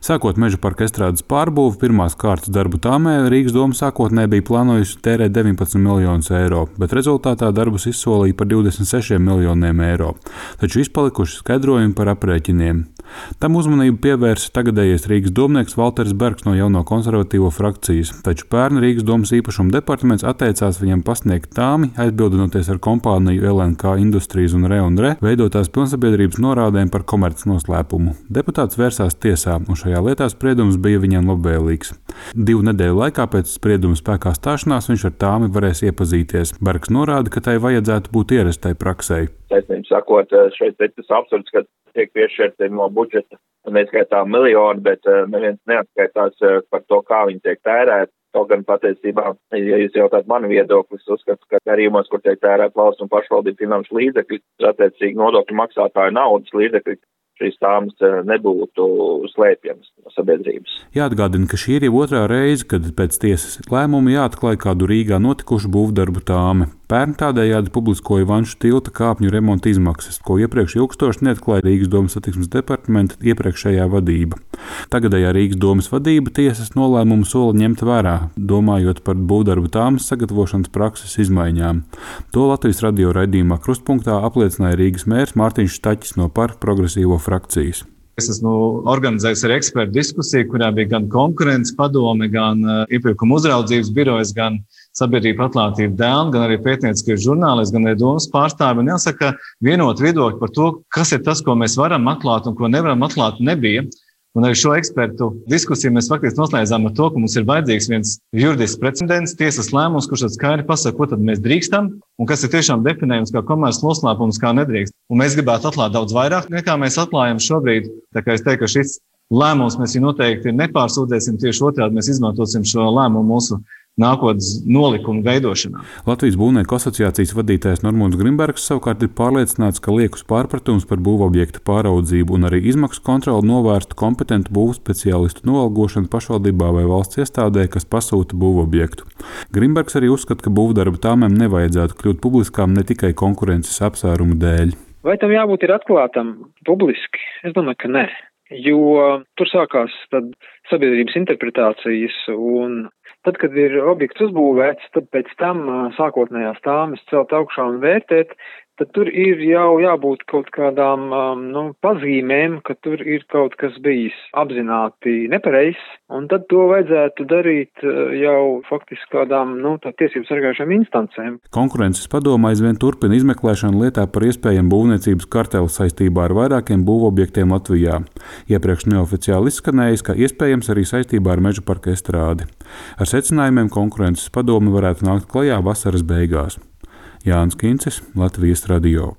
Sākot Meža parka estrādes pārbūvi, pirmās kārtas darbu tāmē Rīgas doma sākotnēji bija plānojusi tērēt 19 miljonus eiro, bet rezultātā darbus izsolīja par 26 miljoniem eiro, taču izpalikuši skaidrojumi par aprēķiniem. Tam uzmanību pievērsa tagadējais Rīgas domnieks Valters Bergs no jauno konservatīvo frakcijas, taču pērn Rīgas domas īpašuma departaments atteicās viņam pasniegt tāmi, aizbildinoties ar kompāniju LNK Industries un Re veidotās pilnsabiedrības norādēm par komercnoslēpumu. Deputāts vērsās tiesā, un šajā lietā spriedums bija viņam labvēlīgs. 2 nedēļu laikā pēc sprieduma spēkā stāšanās viņš ar tāmi varēs iepazīties. Bergs norāda, ka tai vajadzētu būt ierastai praksei. Taisnība sakot, šeit ir tas absurds, ka tiek piešķirti no budžeta neskaitām miljoni, bet neviens neatskaitās par to, kā viņi tiek tērēti. Kaut gan patiesībā, ja jūs jautāt mani viedokli, es uzskatu, ka darījumos, kur tiek tērēt valsts un pašvaldību finanšu līdzekļi, attiecīgi nodokļu maksātāju naudas līdzekļi, šīs tāmas nebūtu slēpjamas no sabiedrības. Jāatgādina, ka šī ir jau otrā reize, kad pēc tiesas lēmuma jāatklāj kādu Rīgā notikušu būvdarbu tāme. Pērn tādējādi publiskoja Vanšu tilta kāpņu remonta izmaksas, ko iepriekš ilgstoši neatklāja Rīgas domas satiksmes departamenta iepriekšējā vadība. Tagadējā Rīgas domas vadība tiesas nolēmumu sola ņemt vērā, domājot par būvdarbu tāmas sagatavošanas prakses izmaiņām. To Latvijas radio raidījumā Krustpunktā apliecināja Rīgas mērs Mārtiņš Staķis no Par progresīvo frakcijas. Es esmu organizējis arī ekspertu diskusiju, kurā bija gan konkurences padome, gan iepirkuma uzraudzības birojas, gan sabiedrība atklātība dēlna, gan arī pētnieciskie žurnālisti, gan arī domas pārstāvi. Un jāsaka, vienot viedokļi par to, kas ir tas, ko mēs varam atklāt un ko nevaram atklāt, nebija. Un arī šo ekspertu diskusiju mēs faktiski noslēdzām ar to, ka mums ir vajadzīgs viens juridisks precedents, tiesas lēmums, kurš tad skaidri pasaka, ko tad mēs drīkstam un kas ir tiešām definējums kā komerces noslēpums, kā nedrīkst. Un mēs gribētu atklāt daudz vairāk, nekā mēs atklājam šobrīd. Tā kā es teiktu, ka šis lēmums mēs noteikti nepārsūdzēsim, tieši otrādi mēs izmantosim šo lēmumu mūsu nākotnes nolikumu veidošanā. Latvijas būvnieku asociācijas vadītājs Normons Grimbergs savukārt ir pārliecināts, ka liekus pārpratums par būvobjektu pāraudzību un arī izmaksu kontroli novērstu kompetentu būvspeciālistu noalgošanu pašvaldībā vai valsts iestādē, kas pasūta būvobjektu. Grimbergs arī uzskata, ka būvdarba tāmēm nevajadzētu kļūt publiskām ne tikai konkurences apsvērumu dēļ. Vai tam jābūt ir atklātam publiski? Es domāju, ka nē. Jo tur sākās tad sabiedrības interpretācijas, un tad, kad ir objekts uzbūvēts, tad pēc tam sākotnējās tāmes celt augšā un vērtēt, tad tur ir jau jābūt kaut kādām pazīmēm, ka tur ir kaut kas bijis apzināti nepareizs, un tad to vajadzētu darīt jau faktiski kādām tiesību sargājušām instancēm. Konkurences padome aizvien turpina izmeklēšanu lietā par iespējamu būvniecības karteli saistībā ar vairākiem būvobjektiem Latvijā. Iepriekš neoficiāli izskanējis, ka iespējams arī saistībā ar Meža parka estrādi. Ar secinājumiem konkurences padome varētu nākt klajā vasaras beigās. Jānis Kincis, Latvijas radio.